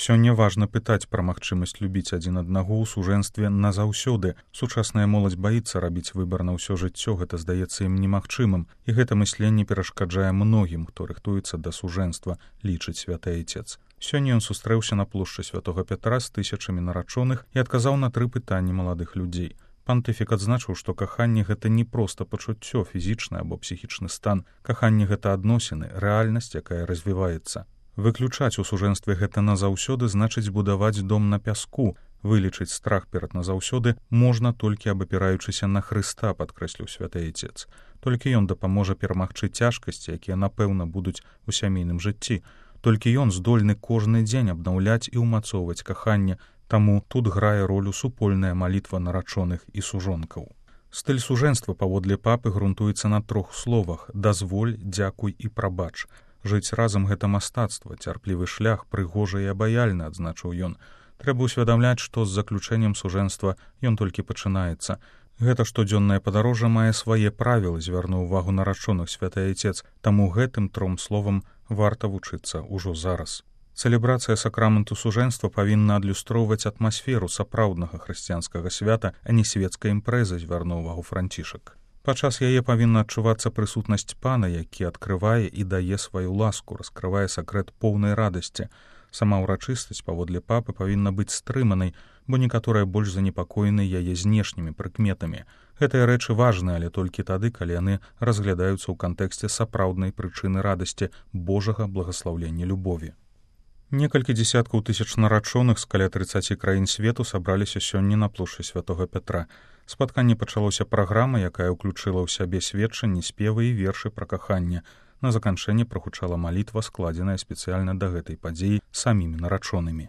Сёння важна пытаць пра магчымасць любіць адзін аднаго ў сужэнстве назаўсёды. Сучасная моладзь баіцца рабіць выбар на ўсё жыццё, гэта здаецца ім немагчымым, і гэта мысленне перашкаджае многім, хто рыхтуецца да сужэнства, лічыць святы айцец. Сёння ён сустрэўся на плошчы святога Пятра з тысячамі нарачоных і адказаў на 3 пытанні маладых людзей. Пантыфік адзначыў, што каханне гэта не проста пачуццё, фізічны або псіхічны стан. Каханне гэта адносіны, рэальнасць, якая развіваецца. Выключаць у сужэнстве гэта назаўсёды значыць будаваць дом на пяску. Вылічыць страх перад назаўсёды можна толькі абапіраючыся на Хрыста, падкрэсліў святы айцец. Толькі ён дапаможа перамагчы цяжкасці, якія, напэўна, будуць у сямейным жыцці. Толькі ён здольны кожны дзень абнаўляць і ўмацоўваць каханне, таму тут грае ролю супольная малітва нарачоных і сужонкаў. Стыль сужэнства паводле папы грунтуецца на 3 словах: дазволь, дзякуй і прабач. Жыць разам гэта мастацтва, цярплівы шлях, прыгожа і абаяльна, адзначыў ён. Трэба ўсвядамляць, што з заключэннем сужэнства ён толькі пачынаецца. Гэта штодзённае падарожжа мае свае правілы, звярнуў увагу нарачоных святы айцец, таму гэтым 3 словам варта вучыцца ўжо зараз. Цэлебрацыя сакраменту сужэнства павінна адлюстроўваць атмасферу сапраўднага хрысціянскага свята, а не свецкай імпрэзы, звярнуў увагу Францішак. Падчас яе павінна адчувацца прысутнасць пана, які адкрывае і дае сваю ласку, раскрывае сакрэт поўнай радасці. Сама ўрачыстасць паводле папы павінна быць стрыманай, бо некаторыя больш занепакоены яе знешнімі прыкметамі. Гэтыя рэчы важныя, але толькі тады, калі яны разглядаюцца ў кантэксце сапраўднай прычыны радасці, Божага благаслаўлення любові. Некалькі дзесяткаў тысяч нарачоных з каля 30 краін свету сабраліся сёння на плошчы святога Пятра. Спатканне пачалося праграма, якая ўключыла ў сябе сведчанні, спевы і вершы пра каханне. На заканчэнне прагучала малітва, складзеная спецыяльна да гэтай падзеі самімі нарачонымі.